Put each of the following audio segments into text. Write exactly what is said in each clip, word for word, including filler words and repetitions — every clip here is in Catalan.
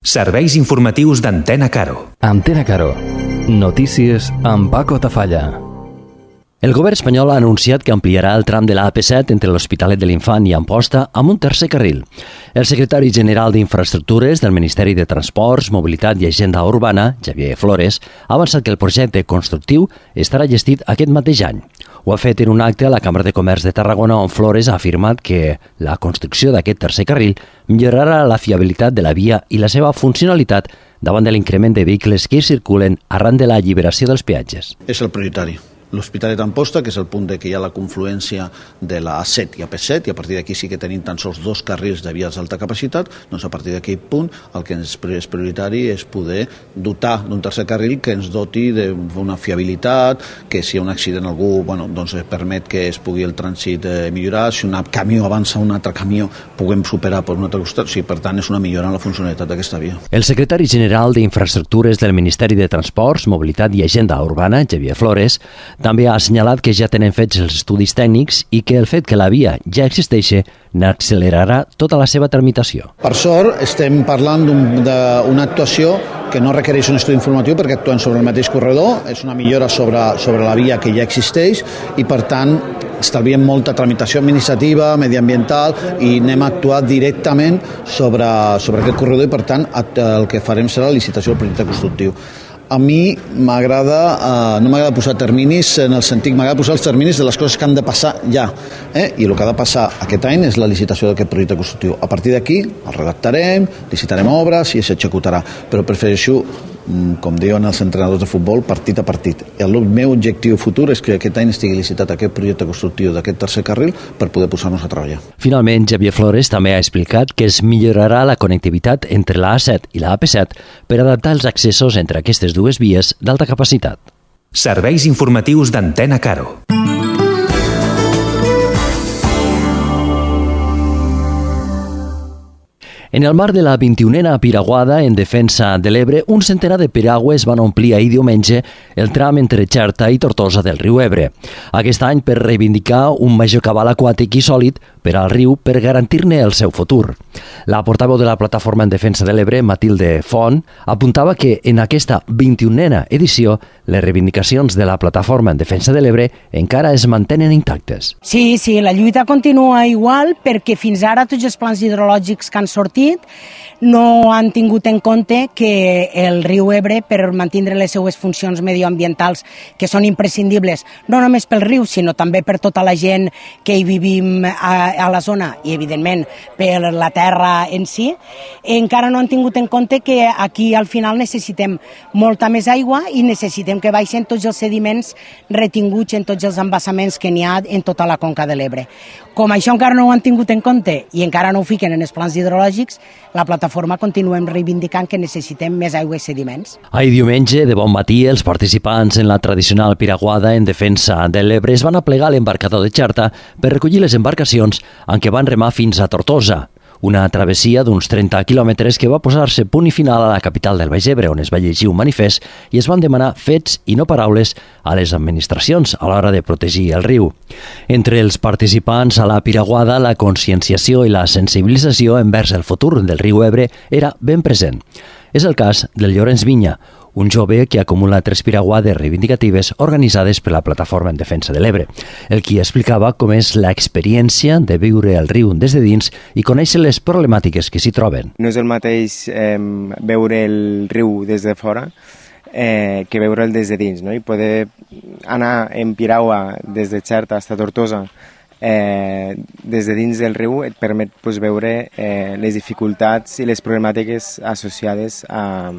Serveis informatius d'Antena Caro. Antena Caro. Notícies amb Paco Tafalla. El govern espanyol ha anunciat que ampliarà el tram de la A P set entre l'Hospitalet de l'Infant i Amposta amb un tercer carril. El secretari general d'Infraestructures del Ministeri de Transports, Mobilitat i Agenda Urbana, Xavier Flores, ha avançat que el projecte constructiu estarà gestit aquest mateix any. Ho ha fet en un acte a la Cambra de Comerç de Tarragona, on Flores ha afirmat que la construcció d'aquest tercer carril millorarà la fiabilitat de la via i la seva funcionalitat davant de l'increment de vehicles que hi circulen arran de la alliberació dels peatges. És el prioritari. L'Hospitalet d'Amposta, que és el punt de que hi ha la confluència de la A set i A P set, i a partir d'aquí sí que tenim tan sols dos carrils de vies d'alta capacitat, doncs a partir d'aquell punt el que és prioritari és poder dotar d'un tercer carril que ens doti d'una fiabilitat, que si hi ha un accident algú, bueno, doncs permet que es pugui el trànsit eh, millorar, si un camió avança un altre camió puguem superar per un altre costat, o sigui, per tant és una millora en la funcionalitat d'aquesta via. El secretari general d'Infraestructures del Ministeri de Transports, Mobilitat i Agenda Urbana, Xavier Flores, també ha assenyalat que ja tenen fets els estudis tècnics i que el fet que la via ja existeixi n'accelerarà tota la seva tramitació. Per sort, estem parlant d'una actuació que no requereix un estudi informatiu perquè actuen sobre el mateix corredor, és una millora sobre, sobre la via que ja existeix i, per tant, estalviem molta tramitació administrativa, mediambiental i anem a actuar directament sobre, sobre aquest corredor i, per tant, el que farem serà la licitació del projecte constructiu. A mi m'agrada, eh, no m'agrada posar terminis en el sentit, m'agrada posar els terminis de les coses que han de passar ja. Eh? I el que ha de passar aquest any és la licitació d'aquest projecte constructiu. A partir d'aquí el redactarem, licitarem obres i s'executarà. Però prefereixo, com diuen els entrenadors de futbol, partit a partit. El meu objectiu futur és que aquest any estigui licitat aquest projecte constructiu d'aquest tercer carril per poder posar-nos a treballar. Finalment, Xavier Flores també ha explicat que es millorarà la connectivitat entre la A set i la A P set per adaptar els accessos entre aquestes dues vies d'alta capacitat. Serveis informatius d'Antena Caro. En el marc de la vint-i-unena Piraguada en defensa de l'Ebre, un centenar de piragües van omplir ahir diumenge el tram entre Xerta i Tortosa del riu Ebre. Aquest any per reivindicar un major cabal aquàtic i sòlid per al riu per garantir-ne el seu futur. La portaveu de la Plataforma en Defensa de l'Ebre, Matilde Font, apuntava que en aquesta vint-i-unena edició les reivindicacions de la Plataforma en Defensa de l'Ebre encara es mantenen intactes. Sí, sí, la lluita continua igual perquè fins ara tots els plans hidrològics que han sortit no han tingut en compte que el riu Ebre, per mantenir les seues funcions medioambientals, que són imprescindibles, no només pel riu, sinó també per tota la gent que hi vivim a, a la zona i, evidentment, per la terra en si, encara no han tingut en compte que aquí al final necessitem molta més aigua i necessitem que baixen tots els sediments retinguts en tots els embassaments que n'hi ha en tota la conca de l'Ebre. Com això encara no ho han tingut en compte i encara no ho fiquen en els plans hidrològics, la plataforma continuem reivindicant que necessitem més aigua i sediments. Ahir diumenge, de bon matí, els participants en la tradicional piraguada en defensa de l'Ebre es van aplegar a l'embarcador de Xerta per recollir les embarcacions en què van remar fins a Tortosa. Una travessia d'uns trenta quilòmetres que va posar-se punt i final a la capital del Baix Ebre, on es va llegir un manifest i es van demanar fets i no paraules a les administracions a l'hora de protegir el riu. Entre els participants a la piraguada, la conscienciació i la sensibilització envers el futur del riu Ebre era ben present. És el cas del Llorenç Vinya, un jove que acumula tres piraguades reivindicatives organitzades per la Plataforma en Defensa de l'Ebre, el qui explicava com és l'experiència de viure el riu des de dins i conèixer les problemàtiques que s'hi troben. No és el mateix eh, veure el riu des de fora eh, que veure'l des de dins, no? I poder anar en piragua des de Xerta fins a Tortosa eh, des de dins del riu et permet pues, veure eh, les dificultats i les problemàtiques associades a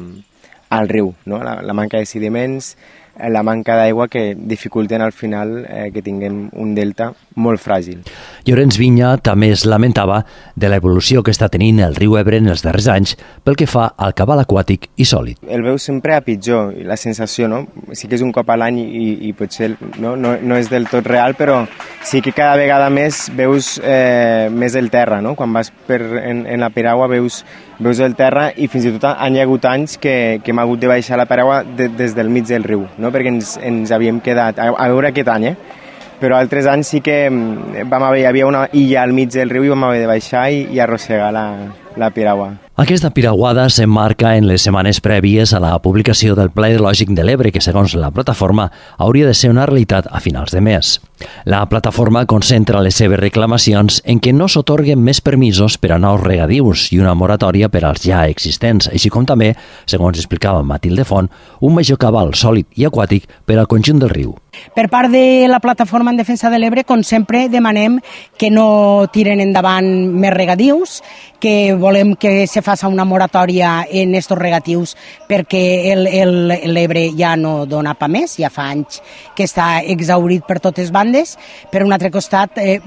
al riu, no? la, la manca de sediments, la manca d'aigua que dificulten al final eh, que tinguem un delta molt fràgil. Llorenç Vinya també es lamentava de l'evolució que està tenint el riu Ebre en els darrers anys pel que fa al cabal aquàtic i sòlid. El veu sempre a pitjor, la sensació, no? Sí que és un cop a l'any i, i potser no, no, no és del tot real, però sí que cada vegada més veus eh, més el terra, no? Quan vas per, en, en la piragua veus, veus el terra i fins i tot han hi ha hagut anys que, que hem hagut de baixar la piragua de, des del mig del riu, no? Perquè ens, ens havíem quedat, a, a veure aquest any, eh? Però altres anys sí que vam haver, hi havia una illa al mig del riu i vam haver de baixar i, i arrossegar la, la piragua. Aquesta piraguada s'emmarca en les setmanes prèvies a la publicació del Pla Hidrològic de l'Ebre, que segons la plataforma hauria de ser una realitat a finals de mes. La plataforma concentra les seves reclamacions en que no s'atorguen més permisos per a nous regadius i una moratòria per als ja existents, així com també, segons explicava Matilde Font, un major cabal sòlid i aquàtic per al conjunt del riu. Per part de la plataforma en defensa de l'Ebre, com sempre, demanem que no tiren endavant més regadius, que volem que se faci una moratòria en aquests regatius perquè l'Ebre ja no dona pa més, ja fa anys que està exhaurit per totes bandes. Per un altre costat, eh,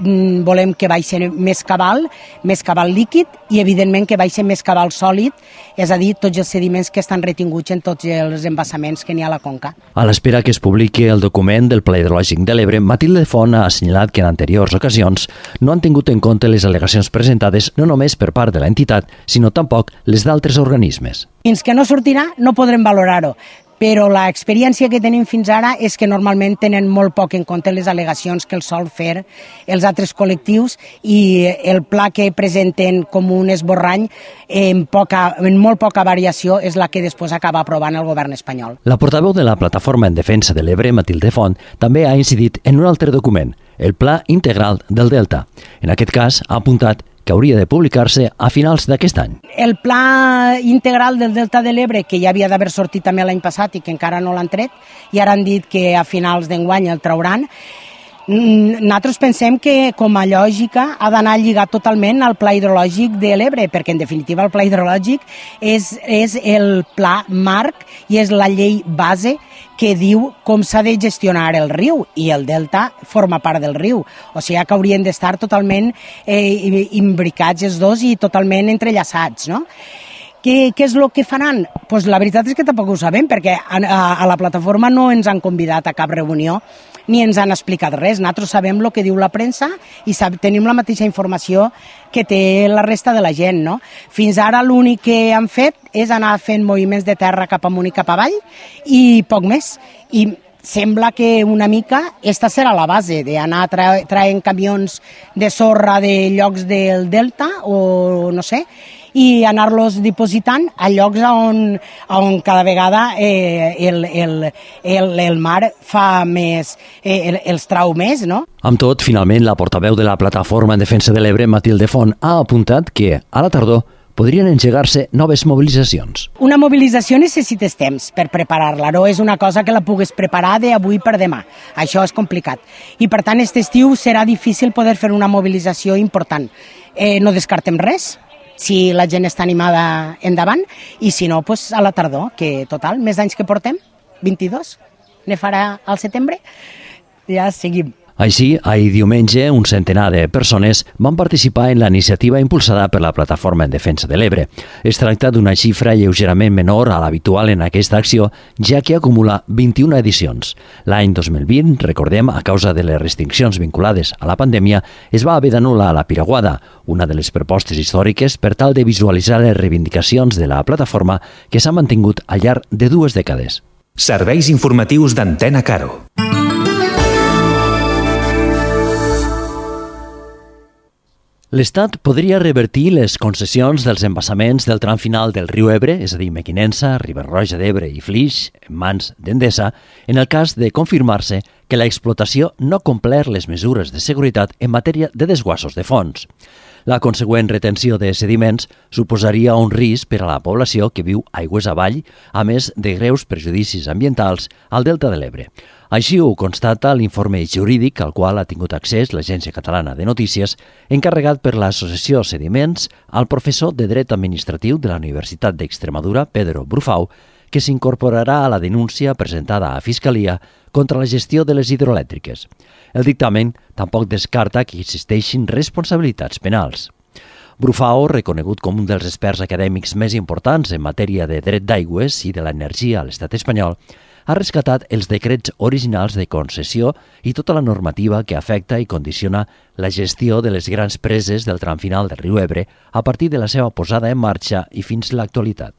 volem que baixi més cabal, més cabal líquid i, evidentment, que baixi més cabal sòlid, és a dir, tots els sediments que estan retinguts en tots els embassaments que n'hi ha a la conca. A l'espera que es publiqui el document del Pla Hidrològic de l'Ebre, Matilde Font ha assenyalat que en anteriors ocasions no han tingut en compte les al·legacions presentades no només per part de l'entitat, sinó tampoc les d'altres organismes. Fins que no sortirà no podrem valorar-ho, però l'experiència que tenim fins ara és que normalment tenen molt poc en compte les al·legacions que els sol fer els altres col·lectius i el pla que presenten com un esborrany en, poca, en molt poca variació és la que després acaba aprovant el govern espanyol. La portaveu de la Plataforma en Defensa de l'Ebre, Matilde Font, també ha incidit en un altre document, el Pla Integral del Delta. En aquest cas, ha apuntat que hauria de publicar-se a finals d'aquest any. El Pla Integral del Delta de l'Ebre, que ja havia d'haver sortit també l'any passat i que encara no l'han tret, i ara han dit que a finals d'enguany el trauran, nosaltres pensem que, com a lògica, ha d'anar lligat totalment al Pla Hidrològic de l'Ebre, perquè, en definitiva, el Pla Hidrològic és, és el pla marc i és la llei base que diu com s'ha de gestionar el riu, i el delta forma part del riu. O sigui que haurien d'estar totalment eh, imbricats els dos i totalment entrellaçats, no? Què, què és el que faran? Pues la veritat és que tampoc ho sabem, perquè a, a, a la plataforma no ens han convidat a cap reunió ni ens han explicat res. Nosaltres sabem el que diu la premsa i sab, tenim la mateixa informació que té la resta de la gent, no? Fins ara l'únic que han fet és anar fent moviments de terra cap amunt i cap avall i poc més. I sembla que una mica esta serà la base d'anar tra traient camions de sorra de llocs del delta o no sé, i anar-los dipositant a llocs on, on cada vegada eh, el, el, el, el mar fa més, eh, el, els trau més, no? Amb tot, finalment, la portaveu de la Plataforma en Defensa de l'Ebre, Matilde Font, ha apuntat que, a la tardor, podrien engegar-se noves mobilitzacions. Una mobilització necessites temps per preparar-la, no és una cosa que la pugues preparar d'avui per demà. Això és complicat. I, per tant, aquest estiu serà difícil poder fer una mobilització important. Eh, no descartem res, si la gent està animada endavant, i si no, pues a la tardor, que total, més anys que portem, vint-i-dos, ne farà al setembre, ja seguim. Així, ahir diumenge, un centenar de persones van participar en la iniciativa impulsada per la Plataforma en Defensa de l'Ebre. Es tracta d'una xifra lleugerament menor a l'habitual en aquesta acció, ja que acumula vint-i-una edicions. L'any dos mil vint, recordem, a causa de les restriccions vinculades a la pandèmia, es va haver d'anul·lar la piraguada, una de les propostes històriques per tal de visualitzar les reivindicacions de la plataforma que s'ha mantingut al llarg de dues dècades. Serveis informatius d'Antena Caro. L'Estat podria revertir les concessions dels embassaments del tram final del riu Ebre, és a dir, Mequinensa, Riba-roja d'Ebre i Flix, en mans d'Endesa, en el cas de confirmar-se que l'explotació no ha complert les mesures de seguretat en matèria de desguassos de fons. La consegüent retenció de sediments suposaria un risc per a la població que viu aigües avall, a més de greus perjudicis ambientals al delta de l'Ebre. Així ho constata l'informe jurídic al qual ha tingut accés l'Agència Catalana de Notícies, encarregat per l'Associació Sediments al professor de Dret Administratiu de la Universitat d'Extremadura, Pedro Brufau, que s'incorporarà a la denúncia presentada a Fiscalia contra la gestió de les hidroelèctriques. El dictamen tampoc descarta que existeixin responsabilitats penals. Brufau, reconegut com un dels experts acadèmics més importants en matèria de dret d'aigües i de l'energia a l'estat espanyol, ha rescatat els decrets originals de concessió i tota la normativa que afecta i condiciona la gestió de les grans preses del tram final del riu Ebre a partir de la seva posada en marxa i fins a l'actualitat.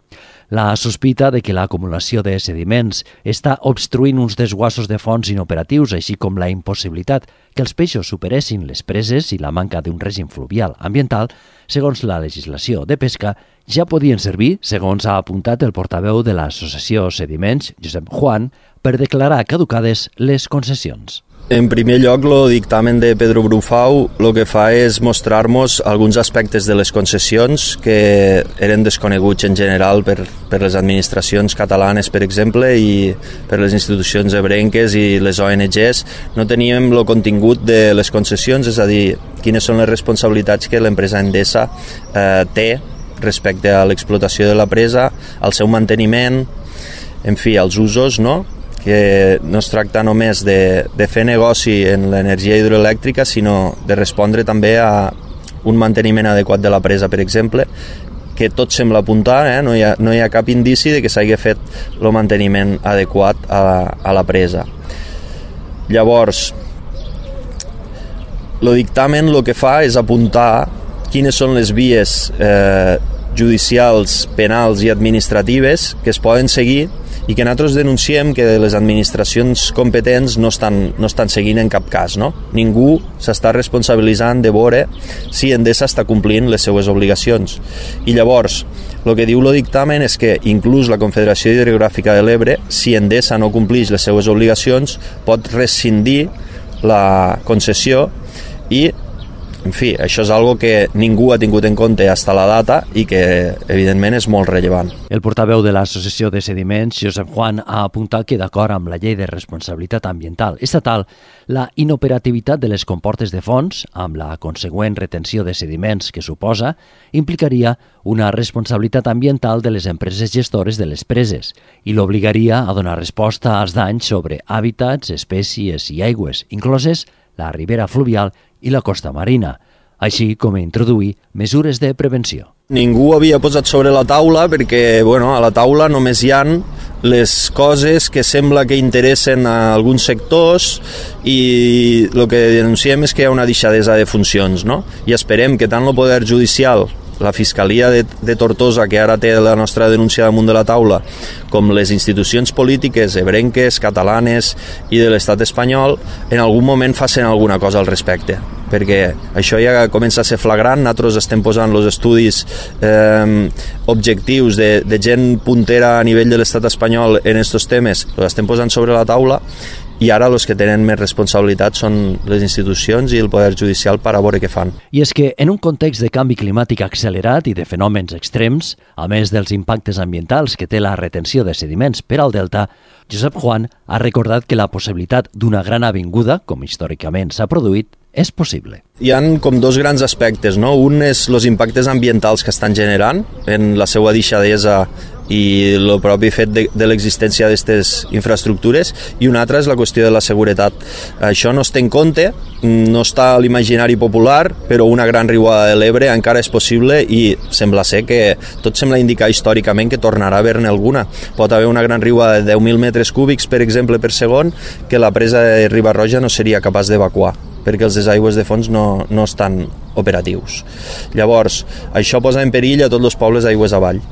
La sospita de que l'acumulació de sediments està obstruint uns desguassos de fons inoperatius, així com la impossibilitat que els peixos superessin les preses i la manca d'un règim fluvial ambiental, segons la legislació de pesca, ja podien servir, segons ha apuntat el portaveu de l'associació Sediments, Josep Juan, per declarar caducades les concessions. En primer lloc, el dictamen de Pedro Brufau el que fa és mostrar-nos alguns aspectes de les concessions que eren desconeguts en general per, per les administracions catalanes, per exemple, i per les institucions ebrenques i les O N Ges. No teníem el contingut de les concessions, és a dir, quines són les responsabilitats que l'empresa Endesa eh, té respecte a l'explotació de la presa, al seu manteniment, en fi, als usos, no?, que no es tracta només de, de fer negoci en l'energia hidroelèctrica, sinó de respondre també a un manteniment adequat de la presa, per exemple, que tot sembla apuntar, eh? no, hi ha, no hi ha cap indici de que s'hagi fet el manteniment adequat a, a la presa. Llavors, el dictamen el que fa és apuntar quines són les vies eh, judicials, penals i administratives que es poden seguir i que nosaltres denunciem que les administracions competents no estan, no estan seguint en cap cas. No? Ningú s'està responsabilitzant de veure si Endesa està complint les seues obligacions. I llavors, el que diu el dictamen és que inclús la Confederació Hidrogràfica de l'Ebre, si Endesa no compleix les seues obligacions, pot rescindir la concessió i, en fi, això és algo que ningú ha tingut en compte fins a la data i que, evidentment, és molt rellevant. El portaveu de l'Associació de Sediments, Josep Juan, ha apuntat que, d'acord amb la Llei de Responsabilitat Ambiental Estatal, la inoperativitat de les comportes de fons, amb la consegüent retenció de sediments que suposa, implicaria una responsabilitat ambiental de les empreses gestores de les preses i l'obligaria a donar resposta als danys sobre hàbitats, espècies i aigües, incloses la ribera fluvial i la costa marina, així com introduir mesures de prevenció. Ningú havia posat sobre la taula perquè, bueno, a la taula només hi han les coses que sembla que interessen a alguns sectors i el que denunciem és que hi ha una deixadesa de funcions, no? I esperem que tant el Poder Judicial, la Fiscalia de, de Tortosa, que ara té la nostra denúncia damunt de la taula, com les institucions polítiques ebrenques, catalanes i de l'estat espanyol, en algun moment facin alguna cosa al respecte, perquè això ja comença a ser flagrant. Nosaltres estem posant els estudis eh, objectius de, de gent puntera a nivell de l'estat espanyol en aquests temes, els estem posant sobre la taula, i ara els que tenen més responsabilitat són les institucions i el Poder Judicial per a veure què fan. I és que en un context de canvi climàtic accelerat i de fenòmens extrems, a més dels impactes ambientals que té la retenció de sediments per al delta, Josep Juan ha recordat que la possibilitat d'una gran avinguda, com històricament s'ha produït, és possible. Hi ha com dos grans aspectes, no? Un és els impactes ambientals que estan generant en la seva deixadesa i el propi fet de, de l'existència d'aquestes infraestructures, i un altre és la qüestió de la seguretat. Això no es té en compte, no està a l'imaginari popular, però una gran riuada de l'Ebre encara és possible i sembla ser que tot sembla indicar històricament que tornarà a haver-ne alguna. Pot haver una gran riuada de deu mil metres cúbics, per exemple, per segon, que la presa de Riba-roja no seria capaç d'evacuar, perquè els desaigües de fons no, no estan operatius. Llavors, això posa en perill a tots els pobles aigües avall.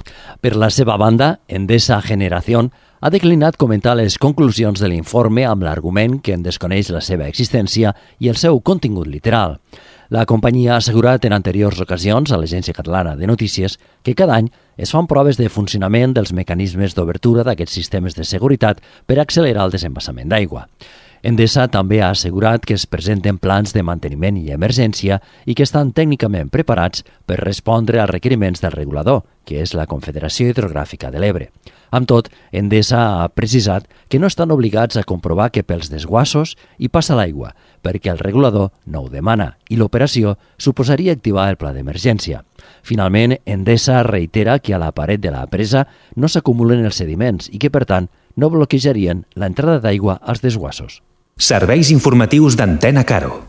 Per la seva banda, Endesa Generación ha declinat comentar les conclusions de l'informe amb l'argument que en desconeix la seva existència i el seu contingut literal. La companyia ha assegurat en anteriors ocasions a l'Agència Catalana de Notícies que cada any es fan proves de funcionament dels mecanismes d'obertura d'aquests sistemes de seguretat per accelerar el desembassament d'aigua. Endesa també ha assegurat que es presenten plans de manteniment i emergència i que estan tècnicament preparats per respondre als requeriments del regulador, que és la Confederació Hidrogràfica de l'Ebre. Amb tot, Endesa ha precisat que no estan obligats a comprovar que pels desguassos hi passa l'aigua, perquè el regulador no ho demana i l'operació suposaria activar el pla d'emergència. Finalment, Endesa reitera que a la paret de la presa no s'acumulen els sediments i que, per tant, no bloquejarien l'entrada d'aigua als desguassos. Serveis informatius d'Antena Caro.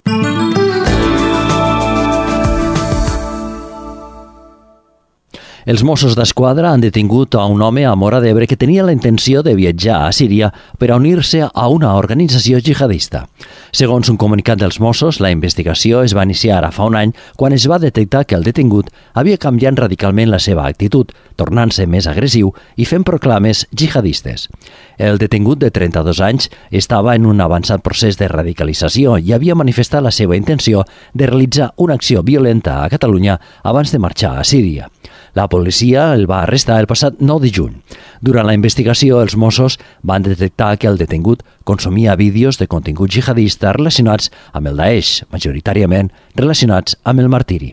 Els Mossos d'Esquadra han detingut a un home a Móra d'Ebre que tenia la intenció de viatjar a Síria per a unir-se a una organització jihadista. Segons un comunicat dels Mossos, la investigació es va iniciar ara fa un any quan es va detectar que el detingut havia canviat radicalment la seva actitud, tornant-se més agressiu i fent proclames jihadistes. El detingut de trenta-dos anys estava en un avançat procés de radicalització i havia manifestat la seva intenció de realitzar una acció violenta a Catalunya abans de marxar a Síria. La policia el va arrestar el passat nou de juny. Durant la investigació, els Mossos van detectar que el detingut consumia vídeos de contingut jihadista relacionats amb el Daesh, majoritàriament relacionats amb el martiri.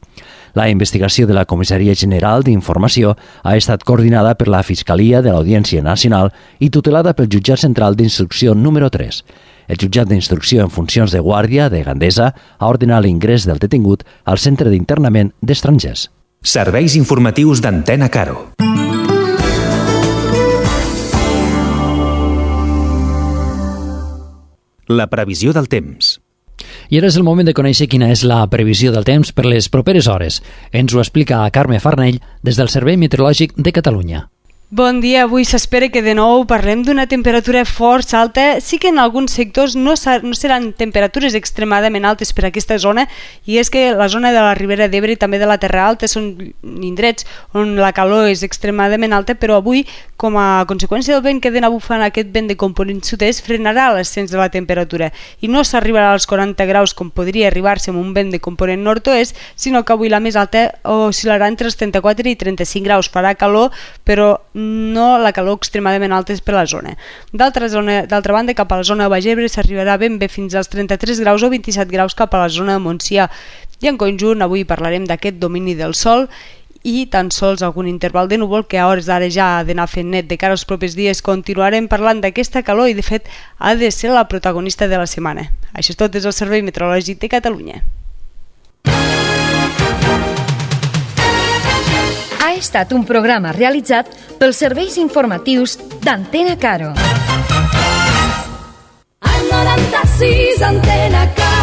La investigació de la Comissaria General d'Informació ha estat coordinada per la Fiscalia de l'Audiència Nacional i tutelada pel Jutjat Central d'Instrucció número tres. El jutjat d'instrucció en funcions de guàrdia de Gandesa ha ordenat l'ingrés del detingut al Centre d'Internament d'Estrangers. Serveis informatius d'Antena Caro. La previsió del temps. I ara és el moment de conèixer quina és la previsió del temps per les properes hores. Ens ho explica Carme Farnell des del Servei Meteorològic de Catalunya. Bon dia, avui s'espera que de nou parlem d'una temperatura força alta. Sí que en alguns sectors no, no seran temperatures extremadament altes per a aquesta zona, i és que la zona de la Ribera d'Ebre i també de la Terra Alta són indrets on la calor és extremadament alta, però avui, com a conseqüència del vent que d'anar bufant, aquest vent de component sud-est frenarà l'ascens de la temperatura i no s'arribarà als quaranta graus com podria arribar-se amb un vent de component nord-oest, sinó que avui la més alta oscil·larà entre els trenta-quatre i trenta-cinc graus. Farà calor, però no la calor extremadament alta per la zona. D'altra zona, d'altra banda, cap a la zona de Baix Ebre s'arribarà ben bé fins als trenta-tres graus o vint-i-set graus cap a la zona de Montsià. I en conjunt avui parlarem d'aquest domini del sol i tan sols algun interval de núvol que a hores d'ara ja ha d'anar fent net. De cara als propers dies continuarem parlant d'aquesta calor i de fet ha de ser la protagonista de la setmana. Això és tot des del Servei Meteorològic de Catalunya. Ha estat un programa realitzat pels serveis informatius d'Antena Caro. Al noranta-sis Antena Caro.